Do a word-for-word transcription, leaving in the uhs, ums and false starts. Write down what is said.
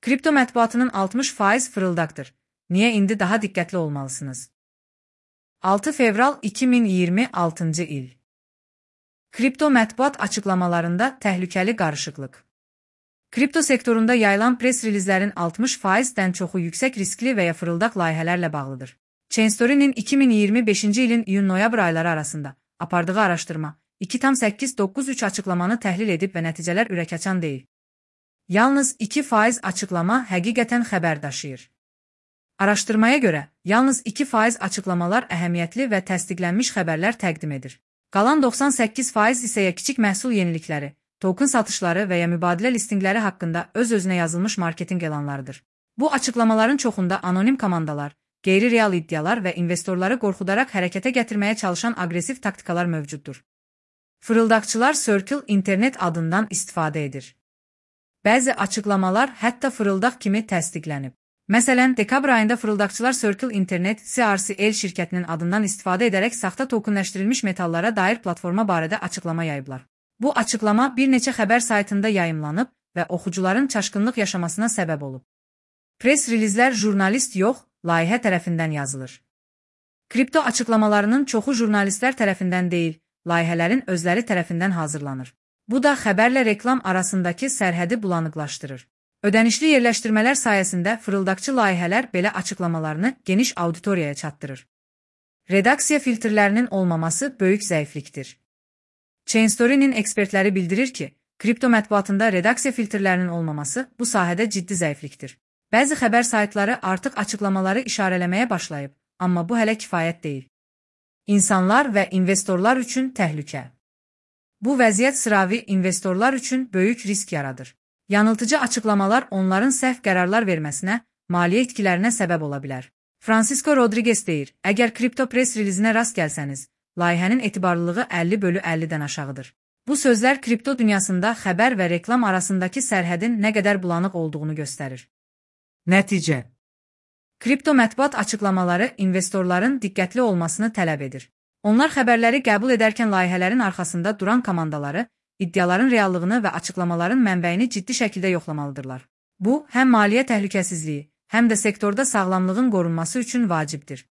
Kripto mətbuatının altmış faiz fırıldaqdır. Niyə indi daha diqqətli olmalısınız? altı fevral iki min iyirmi altıncı il. Kripto mətbuat açıqlamalarında təhlükəli qarışıqlıq. Kripto sektorunda yayılan pres rilizlərin altmış faizdən çoxu yüksək riskli və ya fırıldaq layihələrlə bağlıdır. Chainstory'nin iki min iyirmi beşinci ilin iyun-noyabr ayları arasında apardığı araşdırma iki tam səkkiz doqquz üç açıqlamanı təhlil edib və nəticələr ürəkaçan deyil. Yalnız iki faiz açıqlama həqiqətən xəbər daşıyır. Araşdırmaya görə, yalnız iki faiz açıqlamalar əhəmiyyətli və təsdiqlənmiş xəbərlər təqdim edir. Qalan doxsan səkkiz faiz isə ya kiçik məhsul yenilikləri, token satışları və ya mübadilə listinqləri haqqında öz-özünə yazılmış marketinq elanlarıdır. Bu açıqlamaların çoxunda anonim komandalar, qeyri-real iddialar və investorları qorxudaraq hərəkətə gətirməyə çalışan aqressiv taktikalar mövcuddur. Fırıldaqçılar Circle Internet adından istifadə edir. Bəzi açıqlamalar hətta fırıldaq kimi təsdiqlənib. Məsələn, dekabr ayında fırıldaqçılar Circle Internet C R C L şirkətinin adından istifadə edərək saxta tokenləşdirilmiş metallara dair platforma barədə açıqlama yayıblar. Bu açıqlama bir neçə xəbər saytında yayımlanıb və oxucuların çaşqınlıq yaşamasına səbəb olub. Pres rilizlər jurnalist yox, layihə tərəfindən yazılır. Kripto açıqlamalarının çoxu jurnalistlər tərəfindən deyil, layihələrin özləri tərəfindən hazırlanır. Bu da xəbərlə reklam arasındakı sərhədi bulanıqlaşdırır. Ödənişli yerləşdirmələr sayəsində fırıldaqçı layihələr belə açıqlamalarını geniş auditoriyaya çatdırır. Redaksiya filtrlərinin olmaması böyük zəiflikdir. Chainstory'nin ekspertləri bildirir ki, kripto mətbuatında redaksiya filtrlərinin olmaması bu sahədə ciddi zəiflikdir. Bəzi xəbər saytları artıq açıqlamaları işarələməyə başlayıb, amma bu hələ kifayət deyil. İnsanlar və investorlar üçün təhlükə. Bu vəziyyət sıravi investorlar üçün böyük risk yaradır. Yanıltıcı açıqlamalar onların səhv qərarlar verməsinə, maliyyə itkilərinə səbəb ola bilər. Francisco Rodriguez deyir, əgər kripto pres rilizinə rast gəlsəniz, layihənin etibarlılığı əlli bölü əllidən aşağıdır. Bu sözlər kripto dünyasında xəbər və reklam arasındakı sərhədin nə qədər bulanıq olduğunu göstərir. Nəticə. Kripto mətbuat açıqlamaları investorların diqqətli olmasını tələb edir. Onlar xəbərləri qəbul edərkən layihələrin arxasında duran komandaları, iddiaların reallığını və açıqlamaların mənbəyini ciddi şəkildə yoxlamalıdırlar. Bu, həm maliyyə təhlükəsizliyi, həm də sektorda sağlamlığın qorunması üçün vacibdir.